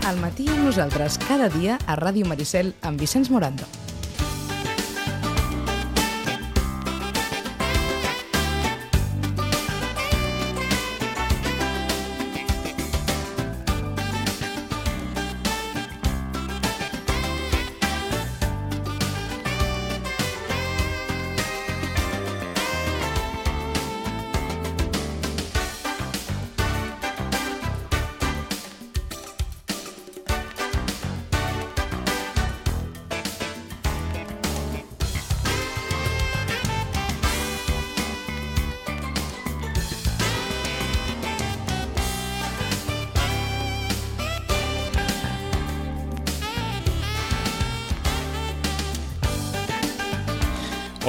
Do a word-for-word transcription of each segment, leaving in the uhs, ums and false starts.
Al matí amb nosaltres cada dia a Ràdio Maricel amb Vicenç Morando.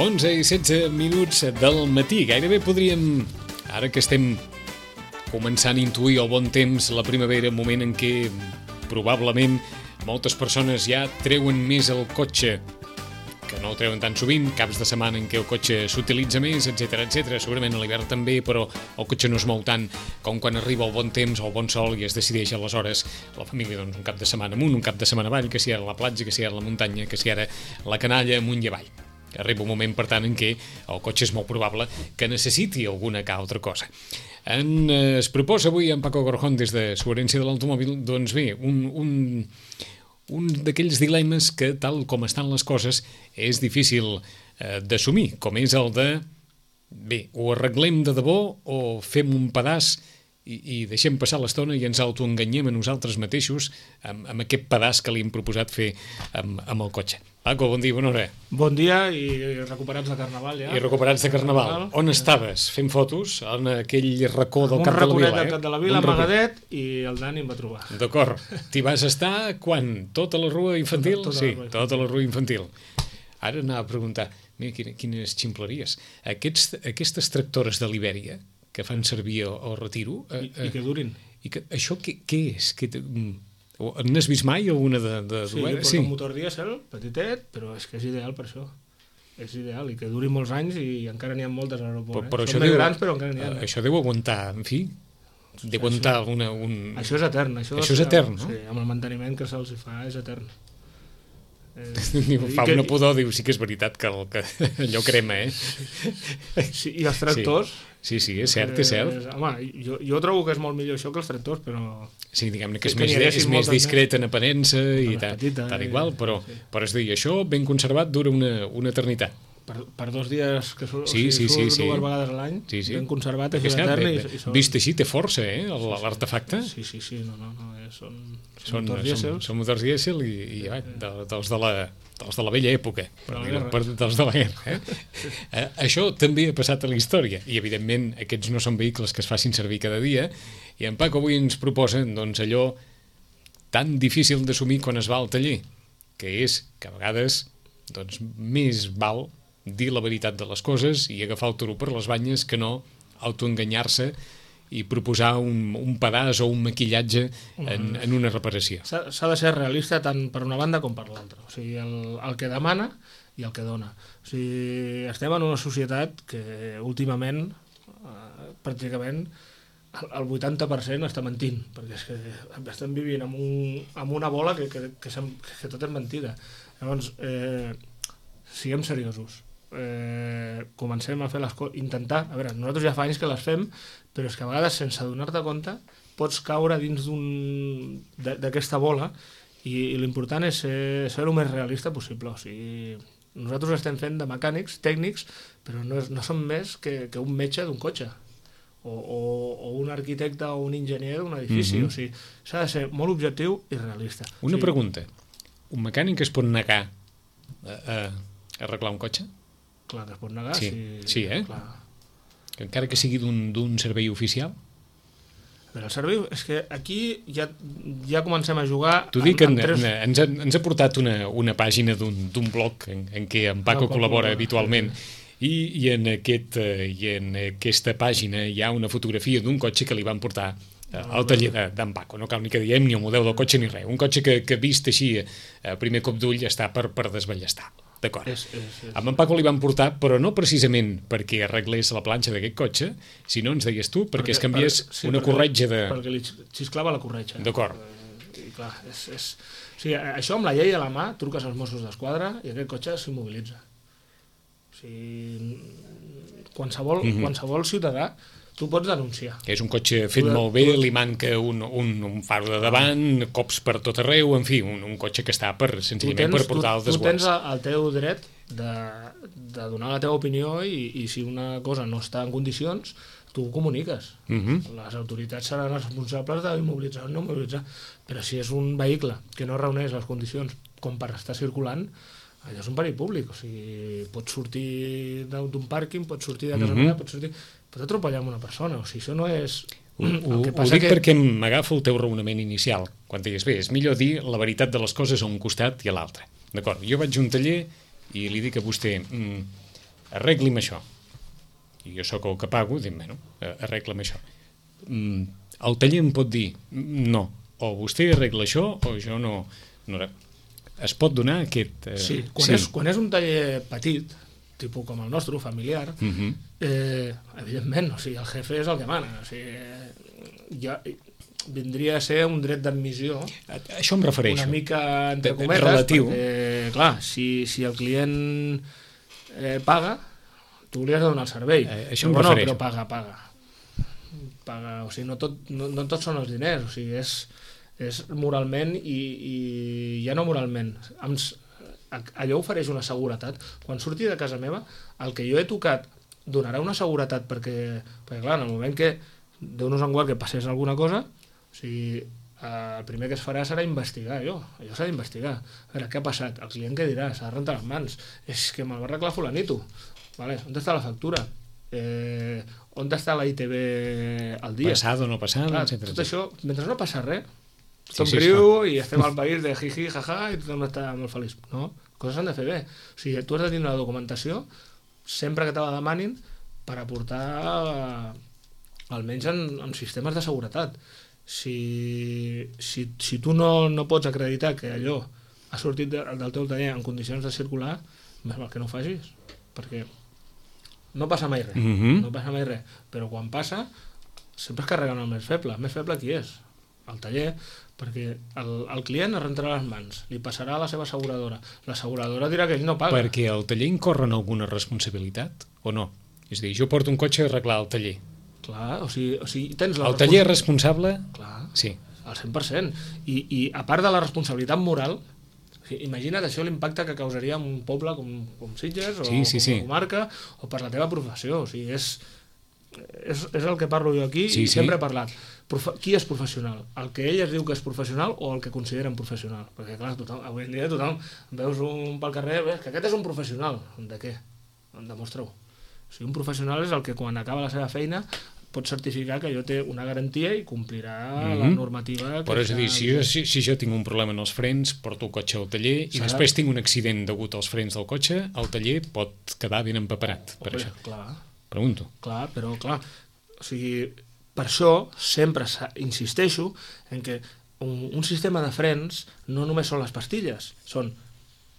onze i setze minuts del matí. Gairebé podríem, ara que estem començant a intuir el bon temps, la primavera, moment en què probablement moltes persones ja treuen més el cotxe, que no el treuen tan sovint, caps de setmana en què el cotxe s'utilitza més, etcètera, etcètera. Segurament a l'hivern també, però el cotxe no es mou tant com quan arriba el bon temps o el bon sol i es decideix aleshores la família, doncs, un cap de setmana amunt, un cap de setmana avall, que si ara la platja, que si ara la muntanya, que si ara la canalla, amunt i avall. Arriba un moment, per tant, en què el cotxe és molt probable que necessiti alguna que altra cosa. En, eh, es proposa avui en Paco Gorjón des de Suherència de l'Automòbil, doncs bé, un, un, un d'aquells dilemes que, tal com estan les coses, és difícil eh, d'assumir, com és el de, bé, o arreglem de debò o fem un pedaç i, i deixem passar l'estona i ens autoenganyem a nosaltres mateixos amb, amb aquest pedaç que li hem proposat fer amb, amb el cotxe. Paco, bon dia, bona hora. Bon dia i recuperats de Carnaval, ja. I recuperats de Carnaval. Carnaval. On estaves? Fent fotos? En aquell racó del Cap de la Vila, eh? Un raconet del Cap de la Vila, amagadet, i el Dani em va trobar. D'acord. T'hi vas estar quan? Tota la rua infantil? Tota, tota sí, la rua tota la rua infantil. Ara anava a preguntar, mira, quines ximpleries. Aquests, aquestes tractores de l'Ibèria que fan servir el, el retiro... I, eh, i que durin. I que, això què, què és? Què, n'has vist mai alguna de... de sí, jo porto sí. un motor dièsel, petitet, però és que és ideal per això. És ideal, i que duri molts anys i encara n'hi ha moltes a l'aeroport. Però, però eh? Són més grans, però encara n'hi ha. Això deu aguantar, en fi, deu aguantar això, una... Un... Això és etern. Això, això és etern, no? Sí, amb el manteniment que se'ls fa és etern. Eh, fa una que... pudor, diu, sí que és veritat que, el, que allò crema, eh? Sí, i els tractors... Sí, sí, sí, és cert, és cert. Eh, home, jo, jo trobo que és molt millor això que els tractors, però... Sí, diguem-ne que és, que més, és més discret en aparença i tal, petita, tal igual, però, sí. però és dir, això ben conservat dura una, una eternitat. Per, per dos dies que surt, sí, sí, o sigui, sí, surt sí. dues vegades a l'any, sí, sí. ben conservat, és etern. I, i són... Vist així, té força, eh, l'artefacte? Sí, sí, sí, no, no, no, són, són, són motors dièsel. Són, són motors dièsel i, i ja, de, dels, de la, dels de la vella època, per dir, per, dels de la guerra. Eh? eh, això també ha passat a la història, i evidentment aquests no són vehicles que es facin servir cada dia, i en Paco avui ens proposa, doncs, allò tan difícil d'assumir quan es va al taller, que és que a vegades, doncs, més val dir la veritat de les coses i agafar el toro per les banyes que no autoenganyar-se i proposar un, un pedaç o un maquillatge en, en una reparació. S'ha de ser realista tant per una banda com per l'altra. O sigui, el, el que demana i el que dona. O sigui, estem en una societat que últimament, eh, pràcticament, el vuitanta per cent està mentint, perquè és que estem vivint amb, un, amb una bola que, que, que, que tot és mentida. Llavors, eh, siguem seriosos. Eh, comencem a fer les coses, intentar, a veure, nosaltres ja fa anys que les fem, però és que a vegades sense donar-te compte pots caure dins d'un d'aquesta bola i, i l'important és ser, ser el més realista possible. O sigui, nosaltres estem fent de mecànics, tècnics, però no, és, no som més que, que un metge d'un cotxe o, o, o un arquitecte o un enginyer d'un edifici. Mm-hmm. O sigui, s'ha de ser molt objectiu i realista. Una o sigui, pregunta, un mecànic es pot negar a, a arreglar un cotxe? Clar que es pot negar. Sí, si, sí eh? Clar. Que encara que sigui d'un servei oficial? Però el servei, és que aquí ja, ja comencem a jugar... T'ho dic, en, tres... en, ens, ha, ens ha portat una, una pàgina d'un blog en, en què en Paco no, col·labora habitualment i, i, en aquest, i en aquesta pàgina hi ha una fotografia d'un cotxe que li van portar al taller d'en Paco. No cal ni que diem ni el model del cotxe ni res. Un cotxe que, que vist així a primer cop d'ull està per, per desballestar. D'acord. Amb en Paco li van portar, però no precisament perquè arreglés la planxa d'aquest cotxe, sinó, ens deies tu, perquè, perquè es canviés per, sí, una perquè, corretja de... Perquè li xisclava la corretja. D'acord. I clar, és, és... O sigui, això amb la llei a la mà, truques als Mossos d'Esquadra i aquest cotxe s'immobilitza. O sigui, qualsevol, mm-hmm. qualsevol ciutadà tu pots denunciar. Que és un cotxe fet tu, molt bé, tu... li manca un, un, un faro de davant, cops per tot arreu, en fi, un, un cotxe que està per, senzillament tens, per portar tu, el desguàs. Tu tens el teu dret de, de donar la teva opinió i, i si una cosa no està en condicions, tu ho comuniques. Mm-hmm. Les autoritats seran responsables d'immobilitzar o no immobilitzar, però si és un vehicle que no reuneix les condicions com per estar circulant, allò és un perill públic, o sigui, pots sortir d'un pàrquing, pots sortir de casa mm-hmm. meva, pots sortir... pots atropellar amb una persona, o sigui, això no és... Ho, ho, que ho dic que... perquè m'agafo el teu raonament inicial, quan deies, bé, és millor dir la veritat de les coses a un costat i a l'altre. D'acord, jo vaig a un taller i li dic a vostè, mm, arregli'm això. I jo sóc el que pago, dic, bueno, arregla'm això. Mm, el taller em pot dir, no, o vostè arregla això o jo no... no es pot donar aquest... Eh... Sí, quan, sí. És, quan és un taller petit, tipus com el nostre, familiar, uh-huh. eh, evidentment, o sigui, el jefe és el que mana. O sigui, ja vindria a ser un dret d'admissió. Això em refereixo. Una mica, entre cometes, relatiu. Perquè, clar, si, si el client eh, paga, tu li has de donar el servei. Eh, això em però, refereixo. No, però paga, paga. paga. O sigui, no tot, no, no tots són els diners, o sigui, és... és moralment i, i ja no moralment. Allò ofereix una seguretat. Quan surti de casa meva, el que jo he tocat donarà una seguretat perquè, perquè clar, en el moment que Déu-nos en guard que passés alguna cosa, o sigui, el primer que es farà serà investigar allò. Allò s'ha d'investigar. A veure, què ha passat? El client què dirà? S'ha de rentar les mans. És que me'l va arreglar fulanito. Vale, on està la factura? Eh, on està la I T V al dia? Passado o no passado, clar, etcètera. Tot això, mentre no passa res, tothom sí, sí, riu sí. i estem al país de jiji, jaja, i tothom està molt feliç. No, coses s'han de fer bé. O sigui, tu has de tindre la documentació sempre que te la demanin per aportar eh, almenys en, en sistemes de seguretat. Si, si, si tu no, no pots acreditar que allò ha sortit de, del teu taller en condicions de circular, més val que no ho facis, perquè no passa mai res, mm-hmm. no passa mai res, però quan passa sempre es carreguen el més feble. El més feble qui és? El taller, perquè el, el client es rentarà les mans, li passarà a la seva asseguradora, l'asseguradora dirà que ell no paga. Perquè el taller incorre en alguna responsabilitat o no? És a dir, jo porto un cotxe a arreglar al taller. Clar, o sigui, o sigui tens la el taller és responsable? Clar, sí. Al cent per cent. I, i a part de la responsabilitat moral, o sigui, imagina't això l'impacte que causaria en un poble com, com Sitges o sí, sí, com sí. una comarca o per la teva professió. O sigui, és, és, és el que parlo jo aquí sí, i sempre sí. he parlat. Profe qui és professional? El que ell es diu que és professional o el que consideren professional? Perquè clar, tothom, avui en dia tothom veus un pel carrer, ves que aquest és un professional. De què? Demostra-ho. O sigui, un professional és el que quan acaba la seva feina pot certificar que allò té una garantia i complirà mm-hmm. la normativa. Que però és a dir, si jo, si, si jo tinc un problema en els frens, porto el cotxe al taller i serà... després tinc un accident degut als frens del cotxe, el taller pot quedar ben empaperat. Per Home, això. Clar. Pregunto. Clar, però clar, o sigui, per això sempre insisteixo en que un, un sistema de frens no només són les pastilles, són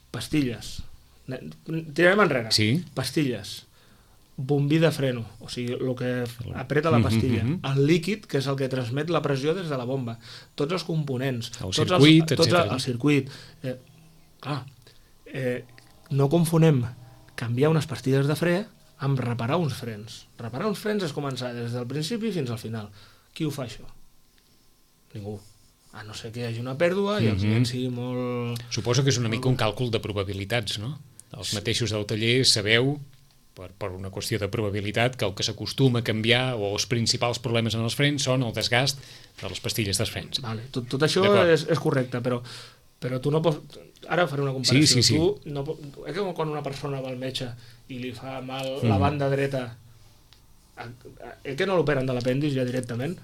pastilles. Tirarem enrere. Sí. Pastilles. Bombí de freno, o sigui, el que apreta la pastilla, mm-hmm. el líquid, que és el que transmet la pressió des de la bomba, tots els components, el tots circuit, els, tots el, el circuit. Eh, clar, eh, no confonem canviar unes pastilles de fre amb reparar uns frens. Reparar uns frens és començar des del principi fins al final. Qui ho fa, això? Ningú. A no ser que hi hagi una pèrdua i mm-hmm. el client sigui molt... Suposo que és una mica un càlcul de probabilitats, no? Els sí. mateixos del taller sabeu... Per, per una qüestió de probabilitat que el que s'acostuma a canviar o els principals problemes en els frens són el desgast de les pastilles dels frens. Vale, tot, tot això és, és correcte, però, però tu no pots... Ara faré una comparació. Sí, sí, sí. Tu no pots... És que quan una persona va al metge i li fa mal mm. la banda dreta, el que no l'operen de l'apèndix ja directament,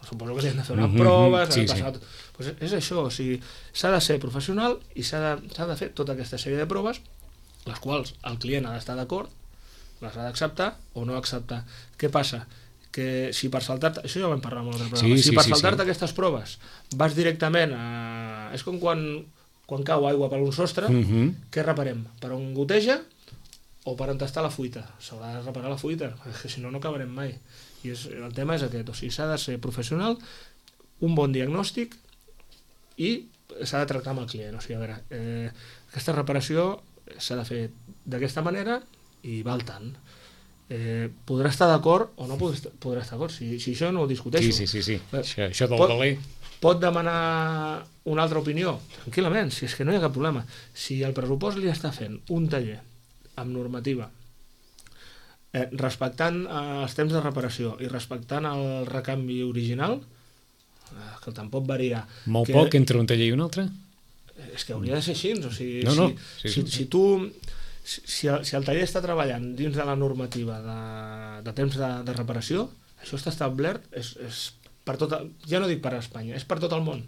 suposo que li han de fer una mm-hmm. prova, s'ha sí, de passar... sí. Pues és això, o sigui, s'ha de ser professional i s'ha de, s'ha de fer tota aquesta sèrie de proves, les quals el client ha d'estar d'acord, les ha d'acceptar o no acceptar. Què passa? Que si per saltar-te... Això ja ho vam parlar en un altre programa. Sí, si sí, per sí, saltar-te sí. aquestes proves vas directament a... És com quan, quan cau aigua per un sostre, mm-hmm. què reparem? Per on goteja o per on està la fuita? S'haurà de reparar la fuita, perquè si no, no acabarem mai. I és, el tema és aquest. O sigui, s'ha de ser professional, un bon diagnòstic i s'ha de tractar amb el client. O sigui, a veure, eh, aquesta reparació s'ha de fer d'aquesta manera i val tant. Eh, podrà estar d'acord o no podrà estar, podrà estar d'acord, si, si això no ho discuteixo. Sí, sí, sí, sí. Eh, això, això del pot, valer... Pot demanar una altra opinió? Tranquil·lament, si és que no hi ha cap problema. Si el pressupost li està fent un taller amb normativa, eh, respectant eh, els temps de reparació i respectant el recanvi original, eh, que tampoc varia... Molt que, poc entre un taller i un altre? És que hauria de ser així. O sigui, no, no. Si, Sí, si, sí. si tu... Si el, si el taller està treballant dins de la normativa de, de temps de, de reparació, això està establert, és, és per tot, ja no dic per a Espanya, és per tot el món,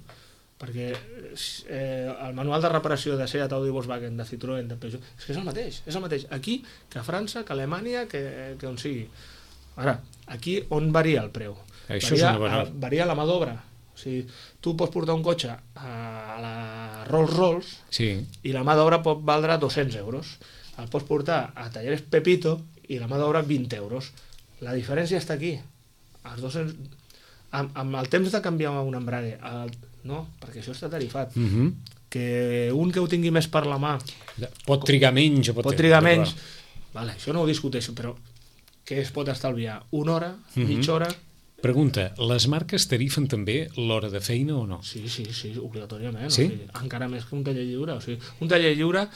perquè eh, el manual de reparació de Seat, Audi, Volkswagen, de Citroën, de Peugeot, és que és el mateix, és el mateix, aquí que a França, que a Alemanya, que, que on sigui. Ara, aquí on varia el preu? Això Varia, és una bona... varia la mà d'obra. O sigui, tu pots portar un cotxe a la Rolls Royce Sí. i la mà d'obra pot valdre dos-cents euros. El pots portar a Talleres Pepito i la mà d'obra vint euros. La diferència està aquí. Els dos-cents... amb, amb el temps de canviar un embrague, el... no, perquè això està tarifat. Mm -hmm. Que un que ho tingui més per la mà... Pot trigar menys o pot... Pot trigar menys. Vale, això no ho discuteixo, però què es pot estalviar? Una hora? Mm -hmm. Mitja hora? Pregunta, les marques tarifen també l'hora de feina o no? Sí, sí, sí, obligatòriament. Sí? O sigui, encara més que un taller lliure. O sigui, un taller lliure...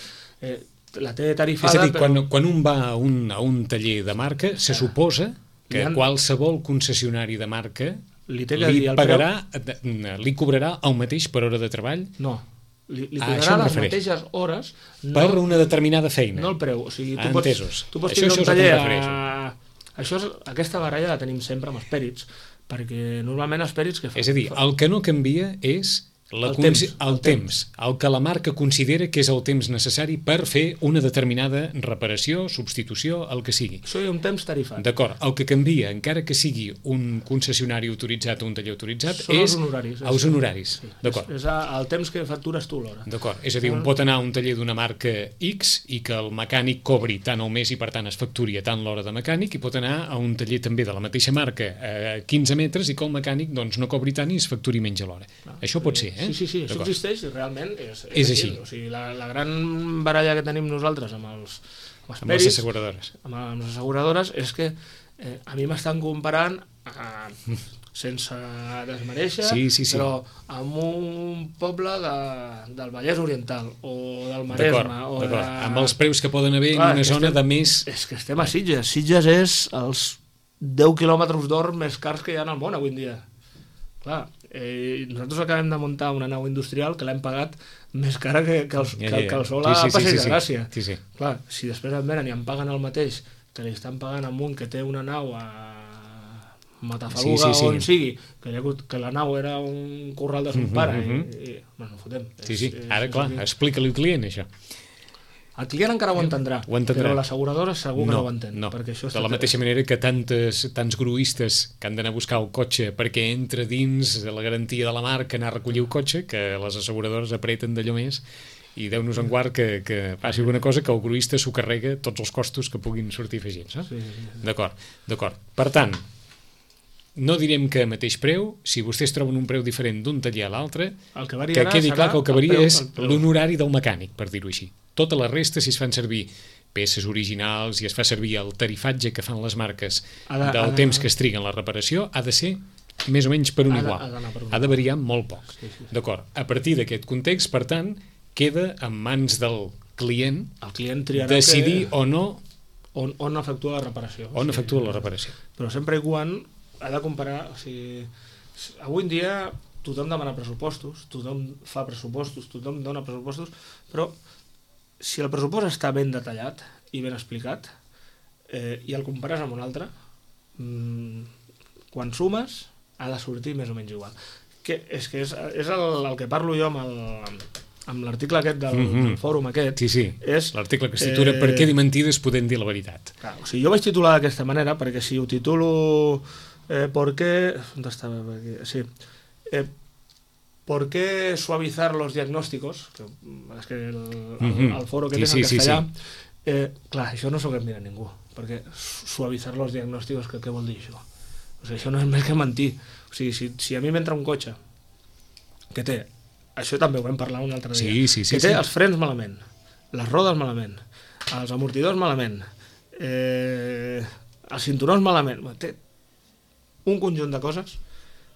Eh, la té tarifada... És a dir, però... quan, quan un va a un, a un taller de marca, se suposa que han... qualsevol concessionari de marca li, té que li dir el pagarà, preu... li cobrarà el mateix per hora de treball? No, li, li Ah, cobrarà això em les refereix. mateixes hores... No, Per una determinada feina? no el preu. O sigui, tu Ah, pots, entesos. tu pots Això- tindre això un és el que taller... em refereixo. A... Això és, aquesta baralla la tenim sempre amb els pèrits, perquè normalment els pèrits... Que fa, És a dir, fa... el que no canvia és... La El el, temps, temps, el, el temps, el que la marca considera que és el temps necessari per fer una determinada reparació, substitució, el que sigui. Això hi ha un temps tarifat. D'acord, el que canvia, encara que sigui un concessionari autoritzat o un taller autoritzat, Són és els honoraris. els honoraris. Sí, D'acord. És, és el temps que factures tu l'hora. D'acord, és a dir, un pot anar a un taller d'una marca X i que el mecànic cobri tant el mes i per tant es facturi a tant l'hora de mecànic, i pot anar a un taller també de la mateixa marca a quinze metres i que el mecànic doncs, no cobri tant i es facturi menys a l'hora. Ah, Això pot ser, eh? Sí, sí, sí, això existeix i realment és, És així. O sigui, la, la gran baralla que tenim nosaltres amb els, amb els Amb les pèrits, asseguradores. amb, amb les asseguradores, és que eh, a mi m'estan comparant eh, sense desmereixer, Sí, sí, sí. però amb un poble de, del Vallès Oriental o del D'acord, Maresme o de... d'acord. Amb els preus que poden haver Clar, en una que zona estem- de més... És que estem a Sitges. Sitges és els deu quilòmetres d'or més cars que hi ha al món avui en dia. Clar, eh, nosaltres acabem de muntar una nau industrial que l'hem pagat més cara que, que, els, Ja, que, ja, ja. que el sol Sí, a sí, sí, Passeig sí, de sí. Gràcia. Sí, sí. Clar, si després en venen i em paguen el mateix que li estan pagant a un que té una nau a Matafaluga, Sí, sí, sí. o on sigui, que, hi ha hagut, que la nau era un corral de son Mhm, pare, mhm. i, i bueno, fotem. Sí, sí. És- Ara, és clar, així. explica-li al client, això. El client encara ho entendrà, Ho entendrà. però l'asseguradora segur que no, ho entén. no. Perquè això De la està- mateixa manera que tantes, tants gruistes que han d'anar a buscar el cotxe perquè entra dins de la garantia de la marca anar a recollir el cotxe, que les asseguradores apreten d'allò més, i Déu-nos en guard que, que passi alguna cosa que el gruista s'ho carrega tots els costos que puguin sortir afegits. Eh? Sí, sí, sí. D'acord, d'acord. Per tant, no direm que a mateix preu, si vostès troben un preu diferent d'un taller a l'altre, El que que variarà quedi serà clar que el que varia preu- és el preu. l'honorari del mecànic, per dir-ho així. Tota la resta, si es fan servir peces originals i es fa servir el tarifatge que fan les marques Ha de- del ha de- temps que es triga en la reparació, ha de ser més o menys per un Ha de- igual. ha d'anar per un Ha de igual. variar molt poc. Sí, sí, sí. D'acord. A partir d'aquest context, per tant, queda en mans del client El client triarà decidir que, o no on, on efectua la reparació. on O sigui, efectua la reparació. Però sempre i quan ha de comparar... O sigui, avui en dia tothom demana pressupostos, tothom fa pressupostos, tothom dona pressupostos, però si el pressupost està ben detallat i ben explicat eh, i el compares amb un altre, mmm, quan sumes ha de sortir més o menys igual. Que, és que és, és el, el que parlo jo amb el, amb l'article aquest del, Mhm. del fòrum aquest. Sí, sí, És, l'article que es titula eh, Per què dir mentides podent dir la veritat. Clar, o sigui, jo vaig titular d'aquesta manera perquè si ho titulo eh, ¿por qué? ¿Dónde estaba? Aquí, sí. Eh, ¿Por qué suavizar los diagnósticos? Que, és que el, el, Mhm. el foro que Sí, tens sí, en sí, castellà... sí. Eh, clar, això no s'ho mira ningú, perquè suavizar los diagnósticos, que, què vol dir això? O sigui, això no és més que mentir. O sigui, si, si a mi m'entra un cotxe que té això també ho vam parlar un altre dia, sí, sí, sí, que té sí. els frens malament, les rodes malament, els amortidors malament, eh, els cinturons malament, té un conjunt de coses.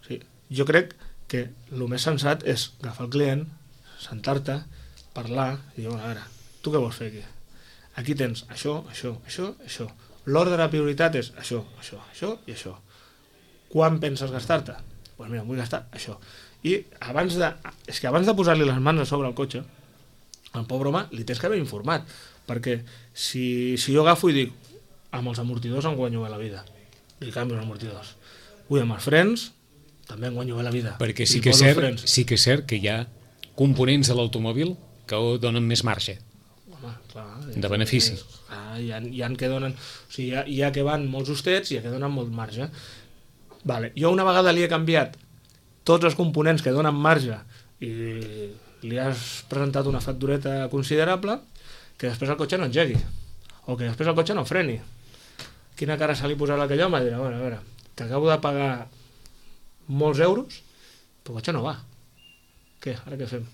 Sí, jo crec que el més sensat és agafar el client, sentar-te, parlar i dir, bueno, a veure, tu què vols fer aquí? Aquí tens això, això, això, això. L'ordre de prioritat és això, això, això i això. Quan penses gastar-te? Doncs pues mira, vull gastar això. I abans de, és que abans de posar-li les mans a sobre el cotxe, al pobre home li tens que haver informat, perquè si, si jo agafo i dic amb els amortidors em guanyo bé la vida, li canvio els amortidors. Ui, amb els frens també em guanyo bé la vida. Perquè sí que, és cert, sí que és cert que hi ha components de l'automòbil que donen més marge. Home, clar, de benefici. És, ah, hi, ha, hi ha que donen, o sigui, hi ha, hi ha que van molts justets i hi ha que donen molt marge. Vale. Jo una vegada li he canviat tots els components que donen marge i li has presentat una factureta considerable, que després el cotxe no engegui o que després el cotxe no freni. Quina cara se li posarà a aquell home? Dirà, bueno, a veure, t'acabo de pagar molts euros, però el cotxe no va. Què? Ara què fem?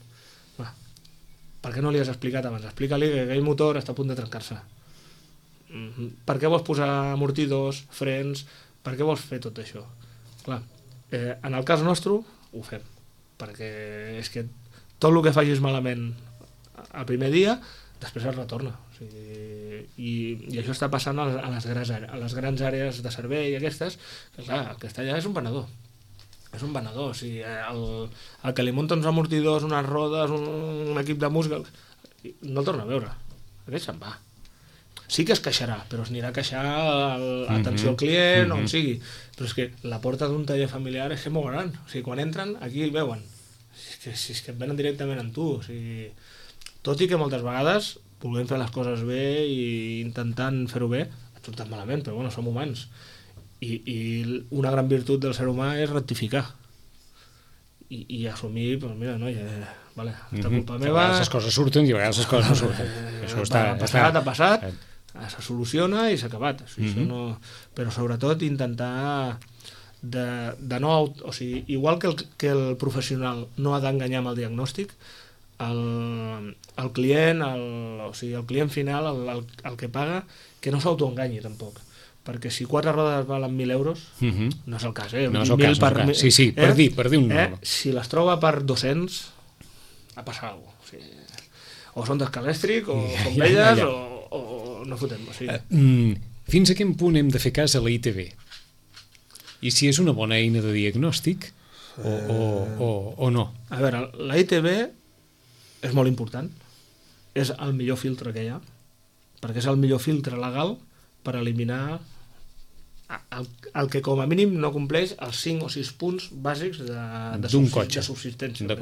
Va. Per què no li has explicat abans? Explica-li que aquell motor està a punt de trencar-se. Mm-hmm. Per què vols posar amortidors, frens? Per què vols fer tot això? Clar, eh, en el cas nostre ho fem, perquè és que tot el que facis malament el primer dia, després es retorna. O sigui, i, i això està passant a les, a les, grans, a les grans àrees de servei aquestes, que clar, el que està allà és un venedor. És un venedor. O sigui, el, el que li munta uns amortidors, unes rodes, un, un equip de música, no el torna a veure. Aquest se'n va. Sí que es queixarà, però es anirà a queixar a l'atenció al client, mm-hmm. on sigui. Però és que la porta d'un taller familiar és que és molt gran. O sigui, quan entren, aquí el veuen. És que, és que et venen directament amb tu. O sigui, tot i que moltes vegades volem fer les coses bé i intentant fer-ho bé, et surten malament, però bueno, som humans. I, i una gran virtut del ser humà és rectificar. I, i assumir, doncs mira, no, ja, vale, esta mm-hmm. culpa meva... A vegades les coses surten i a vegades les coses no surten. Eh, Això està... Ha passat, ha passat, eh. se soluciona i s'ha acabat. O sigui, mm-hmm. no... Però sobretot intentar de, de no... O sigui, igual que el, que el professional no ha d'enganyar amb el diagnòstic, el, el client, el, o sigui, el client final, el, el, el que paga, que no s'autoenganyi tampoc. Perquè si quatre rodes valen mil euros, uh-huh. no és el cas, eh? No és el cas, per, no és el cas. Sí, sí, per, eh? dir, per dir un eh? número. Si les troba per dos-cents, ha passat alguna cosa. O, sigui, o són d'escalèstric, o ja, són velles, ja, ja. O, o no fotem. O sigui. uh, mm, fins a quin punt hem de fer cas a la I T V? I si és una bona eina de diagnòstic o, o, o, o no? A veure, la I T V és molt important. És el millor filtre que hi ha, perquè és el millor filtre legal per eliminar el, el que com a mínim no compleix els cinc o sis punts bàsics de, de, subsist, de subsistència.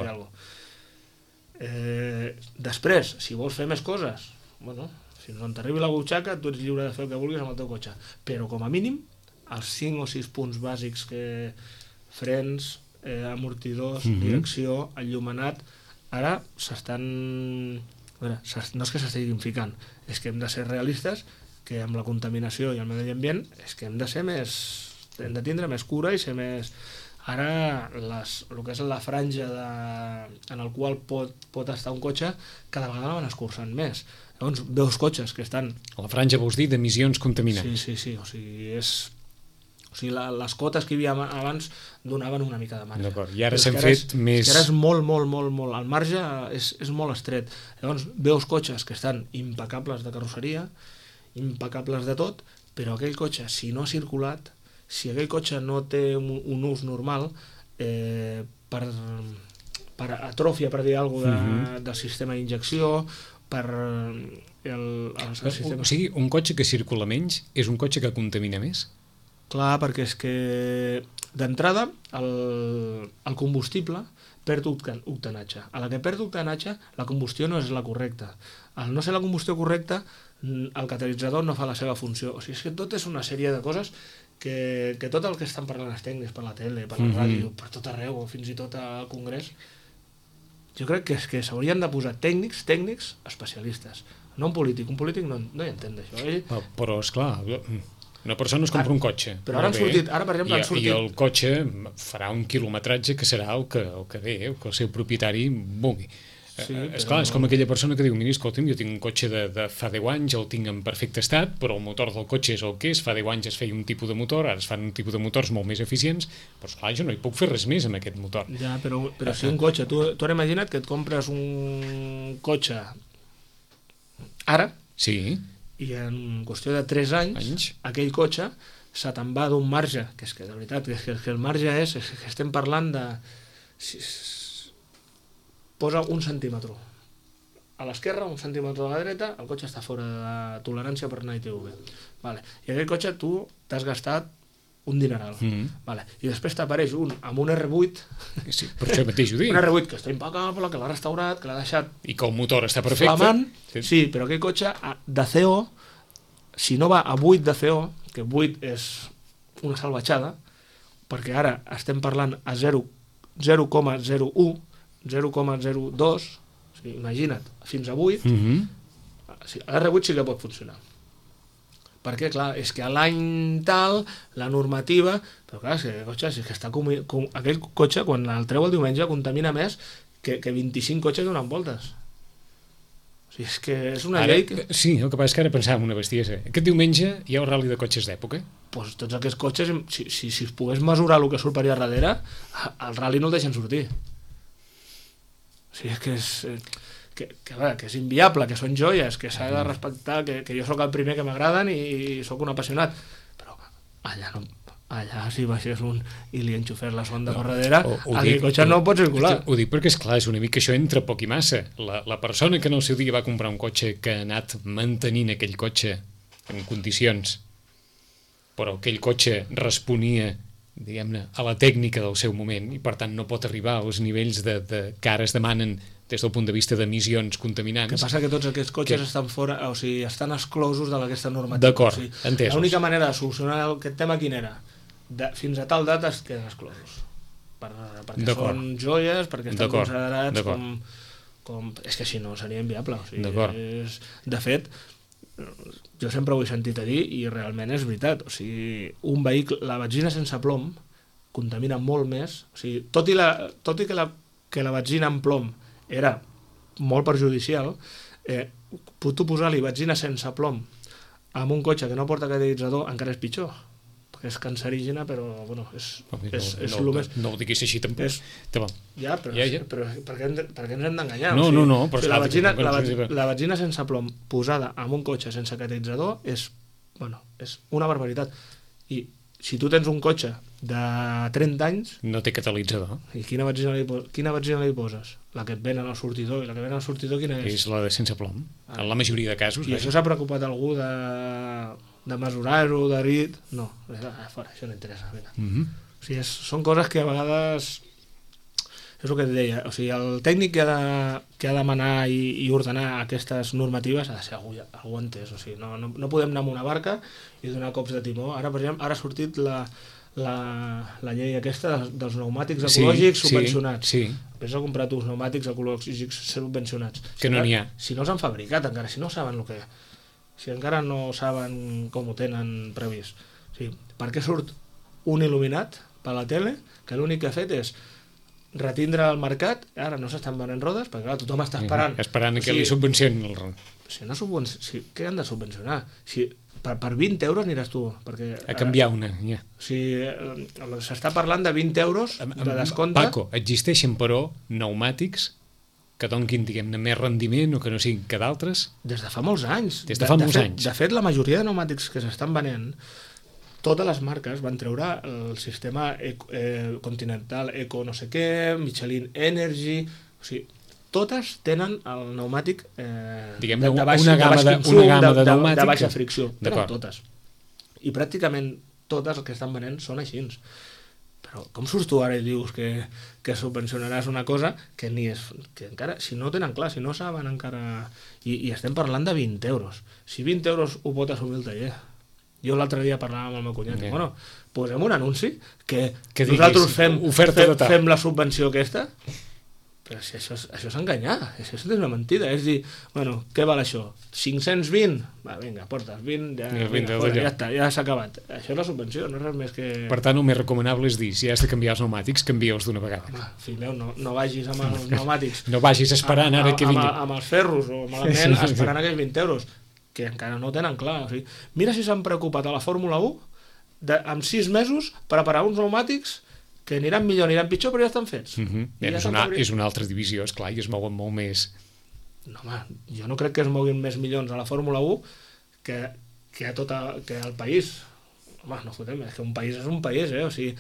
Eh, després, si vols fer més coses, bueno, fins on t'arribi la butxaca, tu ets lliure de fer el que vulguis amb el teu cotxe. Però com a mínim, els cinc o sis punts bàsics que frens, eh, amortidors, mm-hmm. direcció, enllumenat, ara s'estan... A veure, no és que s'estiguin ficant, és que hem de ser realistes, que amb la contaminació i el medi ambient és que hem de ser més, hem de tindre més cura i ser més... Ara les, el que és la franja de, en el qual pot, pot estar un cotxe cada vegada van escurçant més. Llavors veus cotxes que estan... La franja vols dir d'emissions contaminants. Sí, sí, sí, o sigui, és... O sigui, la, les cotes que hi havia abans donaven una mica de marge. D'acord, i ara s'han fet és, més... És que ara és molt, molt, molt, molt... El marge és, és molt estret. Llavors veus cotxes que estan impecables de carrosseria, impecables de tot, però aquell cotxe, si no ha circulat, si aquell cotxe no té un, un ús normal, eh, per, per atròfia, per dir alguna cosa, de, mm-hmm. del sistema d'injecció, per el, el, el sistema... O sigui, un cotxe que circula menys és un cotxe que contamina més? Clar, perquè és que d'entrada el, el combustible perd octanatge. A la que perd octanatge, la combustió no és la correcta. Al no ser la combustió correcta, el catalitzador no fa la seva funció. O sigui, és que tot és una sèrie de coses que, que tot el que estan parlant els tècnics per la tele, per la mm-hmm. ràdio, per tot arreu, fins i tot al congrés, jo crec que és que s'haurien de posar tècnics, tècnics especialistes, no un polític. Un polític no, no hi entén d'això. Ell... Però, esclar, Una persona es compra un cotxe. Però ara han sortit, ara per exemple I, han sortit... I el cotxe farà un quilometratge que serà el que, el que ve, el que el seu propietari vulgui. Sí, eh, esclar, però... és com aquella persona que diu, mira, escolta'm, jo tinc un cotxe de, de fa deu anys, el tinc en perfecte estat, però el motor del cotxe és el que és, fa deu anys es feia un tipus de motor, ara es fan un tipus de motors molt més eficients, però esclar, jo no hi puc fer res més amb aquest motor. Ja, però, però si un cotxe, tu, tu ara imagina't que et compres un cotxe ara, sí, i en qüestió de tres anys, anys. aquell cotxe se te'n va d'un marge, que és que de veritat, que, que el marge és, és que estem parlant de... Si, posa un centímetre a l'esquerra, un centímetre a la dreta, el cotxe està fora de tolerància per anar I T V. Vale. I aquell cotxe tu t'has gastat un dineral. Mm-hmm. Vale. I després t'apareix un amb un R vuit, sí, per això mateix ho dic. Un R vuit que està impecable, que l'ha restaurat, que l'ha deixat... I que el motor està perfecte. Flamant, sí. sí, però aquell cotxe de C O, si no va a vuit de C O, que vuit és una salvatjada, perquè ara estem parlant a zero coma zero u, zero coma zero dos, o sigui, imagina't, fins a vuit, mm-hmm. l'R vuit sí que pot funcionar. Perquè, clar, és que a l'any tal, la normativa... Però clar, és que, cotxe, és que està com, com, aquell cotxe, quan el treu el diumenge, contamina més que, que vint-i-cinc cotxes donant voltes. O sigui, és que és una ara, llei... Que... Sí, el que passa és que ara pensàvem una bestiesa. Aquest diumenge hi ha un ral·li de cotxes d'època? Doncs tots aquests cotxes, si, si, si es pogués mesurar el que surt per allà darrere, el ral·li no el deixen sortir. O sigui, és que és, que, que, veure, que és inviable, que són joies, que s'ha de respectar, que, que jo sóc el primer que m'agraden i, i sóc un apassionat, però allà no, allà si baixés un i li enxufés la sonda no, per darrere, aquell cotxe no pot circular. Ho, ho dic perquè, esclar, és una mica això entra poc i massa. La, la persona que en el seu dia va comprar un cotxe que ha anat mantenint aquell cotxe en condicions, però aquell cotxe responia, diguem-ne, a la tècnica del seu moment i per tant no pot arribar als nivells de, de, que ara es demanen des del punt de vista d'emissions contaminants. El que passa que tots aquests cotxes que... estan fora, o sigui, estan exclosos d'aquesta normativa. D'acord, o sigui, entesos. L'única manera de solucionar aquest tema quina era? De, fins a tal data es queden exclosos. Per, perquè són joies, perquè estan considerats com, com... És que si no seria inviable. O sigui, és, de fet, jo sempre ho he sentit a dir i realment és veritat. O sigui, un vehicle, la benzina sense plom contamina molt més. O sigui, tot i, la, tot i que, la, que la benzina amb plom era molt perjudicial, eh, tu posar-li benzina sense plom amb un cotxe que no porta catalitzador encara és pitjor, perquè és cancerígena, però bueno, és, no, és, és no, el no, més... No ho diguis així tampoc. És... Ja, però, ja, ja. però per, què, per què ens hem d'enganyar? No, o sigui, no, no. Però o sigui, la, benzina, la, benzina, la benzina sense plom posada en un cotxe sense catalitzador és, bueno, és una barbaritat. I si tu tens un cotxe de trenta anys... No té catalitzador. I quina benzina li, quina benzina li poses? La que et venen al sortidor. I la que venen al sortidor quina és? És la de sense plom. Ah. En la majoria de casos. I això s'ha preocupat algú de, de mesurar-ho, de rit... No, ah, fora, això no interessa. Mm-hmm. O sigui, és, són coses que a vegades... És el que et deia. O sigui, el tècnic que ha de, que ha de manar i, i ordenar aquestes normatives ha de ser algú, algú entès. O sigui, no, no, no podem anar amb una barca i donar cops de timó. Ara, per exemple, ara ha sortit la... La, la llei aquesta dels pneumàtics ecològics sí, subvencionats. Sí, sí. Vés a comprar uns pneumàtics ecològics subvencionats. Que si no n'hi ha. Si no els han fabricat encara, si no saben el que... Si encara no saben com ho tenen previst. Sí. Per què surt un il·luminat per la tele que l'únic que ha fet és retindre el mercat, ara no s'estan venent rodes, perquè clar, tothom està esperant. Mm, esperant o que sigui, li subvencionin el... Si no subven... si, què han de subvencionar? Si... Per, per vint euros aniràs tu. Perquè, a canviar una, ja. O sigui, s'està parlant de vint euros de descompte. Paco, existeixen, però, pneumàtics que donquin, diguem-ne, més rendiment o que no siguin que d'altres? Des de fa molts anys. Des de fa de, molts de fet, anys. De fet, la majoria de pneumàtics que s'estan venent, totes les marques van treure el sistema eco, eh, Continental Eco no sé què, Michelin Energy... O sigui, totes tenen el pneumàtic eh, diguem, de, de, baix, una gamma de, consum, una gamma de, de, de, de baixa fricció. Tenen totes. I pràcticament totes el que estan venent són així. Però com surts tu ara i dius que, que subvencionaràs una cosa que ni és... Que encara, si no tenen clar, si no saben encara... I, i estem parlant de vint euros. Si vint euros ho pot assumir el taller. Jo l'altre dia parlàvem amb el meu cunyat. Yeah. Bueno, posem un anunci que, que nosaltres fem, fem, fem la subvenció aquesta... Però si això, és- això és enganyar, això és una mentida. És dir, bueno, què val això? cinc-cents vint? Va, vinga, portes vint, ja, Vinga, vinga, vinga, fora, d'allò. ja està, ja s'ha acabat. Això és la subvenció, no és res més que... Per tant, el més recomanable és dir, si has de canviar els pneumàtics, canvia-els d'una vegada. Home, fill meu, no, no vagis amb els pneumàtics No vagis esperant ara que amb, vingui. amb, amb els ferros o malament Sí, sí, sí. esperant aquells vint euros, que encara no ho tenen clar. O sigui, mira si s'han preocupat a la Fórmula u de, amb sis mesos preparar uns pneumàtics que aniran millor, aniran pitjor, però ja estan fets. Uh -huh. I ja és, estan una, fabricats. és una altra divisió, esclar, i es mouen molt més. No, home, jo no crec que es moguin més milions a la Fórmula u que, que a tot a, que al país. Home, no fotem, és que un país és un país, eh? O sigui,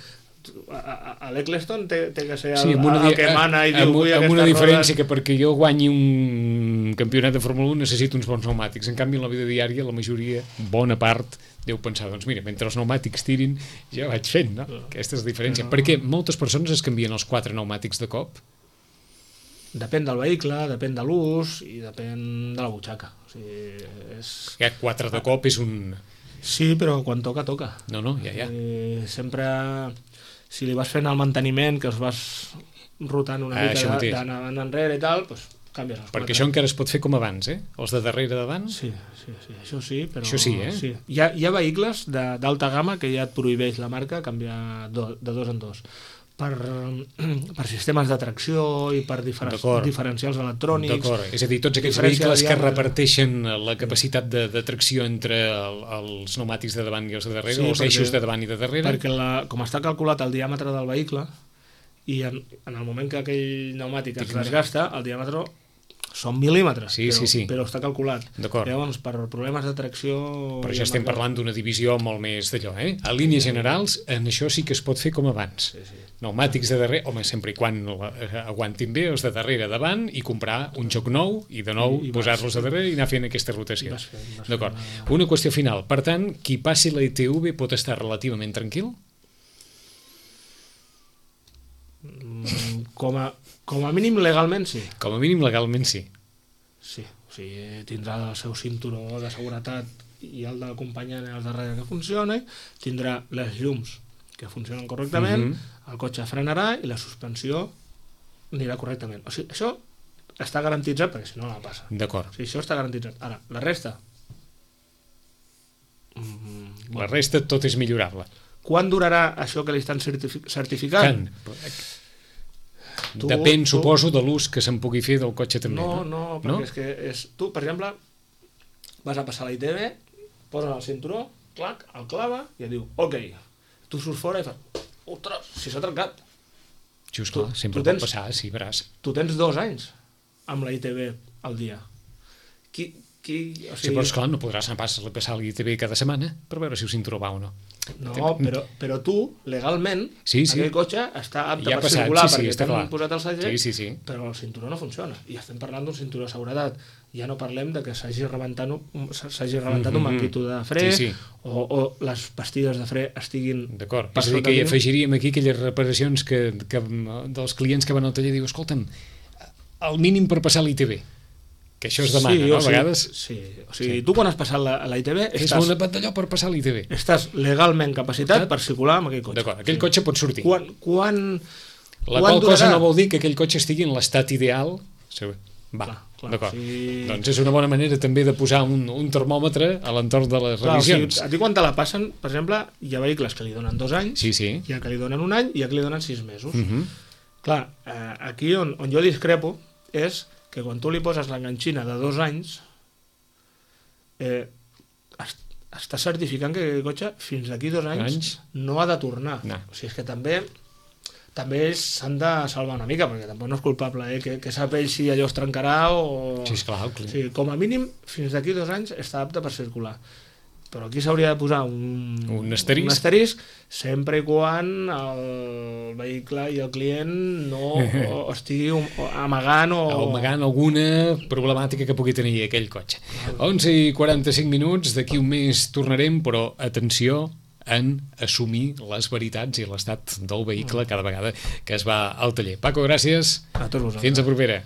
a, a, a l'Eccleston té, té que ser el, Sí, amb una, el que mana i diu amb, vull amb una aquestes diferència rodes. que perquè jo guanyi un campionat de Fórmula u necessito uns bons pneumàtics. En canvi, en la vida diària, la majoria, bona part, deu pensar, doncs mira, mentre els pneumàtics tirin, ja vaig fent, no? Aquesta és la diferència. No. Perquè moltes persones es canvien els quatre pneumàtics de cop. Depèn del vehicle, depèn de l'ús i depèn de la butxaca. O sigui, és... Ja, quatre de cop és un... Sí, però quan toca, toca. No, no, ja, ja. I sempre, si li vas fent el manteniment, que els vas rotant una Ah, això mica mateix. d'anant enrere i tal, doncs canvies els Perquè això encara es pot fer com abans, eh? Els de darrere davant. Sí, sí, sí, això sí, però... Això sí, eh? Sí. Hi, ha, hi ha vehicles de- d'alta gamma que ja et prohibeix la marca canviar do, de dos en dos. Per, per sistemes de tracció i per diferen, D'acord. diferencials electrònics. D'acord, és a dir, tots aquells Diferència vehicles de que diàmetre. reparteixen la capacitat de, de tracció entre el, els pneumàtics de davant i els de darrere, Sí, o els perquè- eixos de davant i de darrere. Perquè la, com està calculat el diàmetre del vehicle i en, en el moment que aquell pneumàtic es Tinc- desgasta, el diàmetre són mil·límetres, Sí, però, sí, sí. però està calculat. D'acord. Llavors, per problemes de tracció... Però i ja estem amb- parlant d'una divisió molt més d'allò, eh? A línies generals, en això sí que es pot fer com abans. Sí, sí. Pneumàtics de darrere, home, sempre i quan eh, aguantin bé, els de darrere davant, i comprar un joc nou, i de nou I- i vas- posar-los a darrere i anar fent aquesta rotació. I vas fent, vas D'acord. fent Una qüestió final. Per tant, qui passi la I T V pot estar relativament tranquil? Mm, Com a, com a mínim legalment sí. Com a mínim legalment sí. Sí, o sigui, tindrà el seu cinturó de seguretat i el d'acompanyant al darrere que funcioni, tindrà les llums que funcionen correctament, Mhm. el cotxe frenarà i la suspensió anirà correctament. O sigui, això està garantitzat perquè si no la passa. D'acord. O sigui, això està garantitzat. Ara, la resta... Mm, La resta tot és millorable. Quan durarà això que li estan certifi certificant? Can. Tu- Depèn, tu- suposo, de l'ús que se'n pugui fer del cotxe també. No, No, no, perquè és que és, tu, per exemple, vas a passar la I T V, poses el cinturó, clac, el clava i et diu, ok, tu surts fora i fas, ostres, si s'ha trencat. Just, Tu- clar, sempre tu pot tens- passar, sí, veràs. Tu tens dos anys amb la I T V al dia. Qui, qui, o Sí, sigui, però esclar, no podràs anar pas a passar l'I T V cada setmana per veure si el cinturó va o no. no, però, però tu, legalment, Sí, sí. aquell cotxe està apte Ja ha per passat, circular sí, sí, perquè està t'han clar. posat el segell, Sí, sí, sí. però el cinturó no funciona. I estem parlant d'un cinturó de seguretat. Ja no parlem de que s'hagi rebentat, un, s'hagi rebentat un Mhm. manguito de fre, Sí, sí. O, o les pastilles de fre estiguin... D'acord. per És a dir, sota que hi mínim. afegiríem aquí aquelles reparacions que, que, dels clients que van al taller i diu, escolta'm, el mínim per passar l'I T V. Que això es demana, sí, no? o A sigui, vegades Sí, o sigui, Sí. tu quan has passat la, la I T V és estàs, una pantalló per passar l'I T V. estàs legalment capacitat per circular amb aquell cotxe. D'acord, aquell cotxe pot sortir. Quan, quan, La quan qual cosa durarà? no vol dir que aquell cotxe estigui en l'estat ideal. Sí, va, Clar, clar, d'acord. sí. Doncs és una bona manera també de posar un, un termòmetre a l'entorn de les Clar, o sigui, revisions. a ti quan te la passen, per exemple, hi ha vehicles que li donen dos anys, Sí, sí. hi ha que li donen un any i hi ha que li donen sis mesos. Uh -huh. Clar, eh, aquí on, on jo discrepo és que quan tu li poses l'enganxina de dos anys, eh, es, està certificant que aquell cotxe fins d'aquí dos anys, Anys? no ha de tornar. No. O sigui, és que també també ells s'han de salvar una mica, perquè tampoc no és culpable, eh? que, que sap ell si allò es trencarà o... Sí, esclar, el O client. sigui, com a mínim, fins d'aquí dos anys està apte per circular. Però aquí s'hauria de posar un, Un asterisc. un asterisc sempre i quan el vehicle i el client no o estigui um- o amagant o... o amagant alguna problemàtica que pugui tenir aquell cotxe. onze i quaranta-cinc minuts, d'aquí un mes tornarem, però atenció en assumir les veritats i l'estat del vehicle cada vegada que es va al taller. Paco, gràcies. A tots vosaltres. Fins a propera.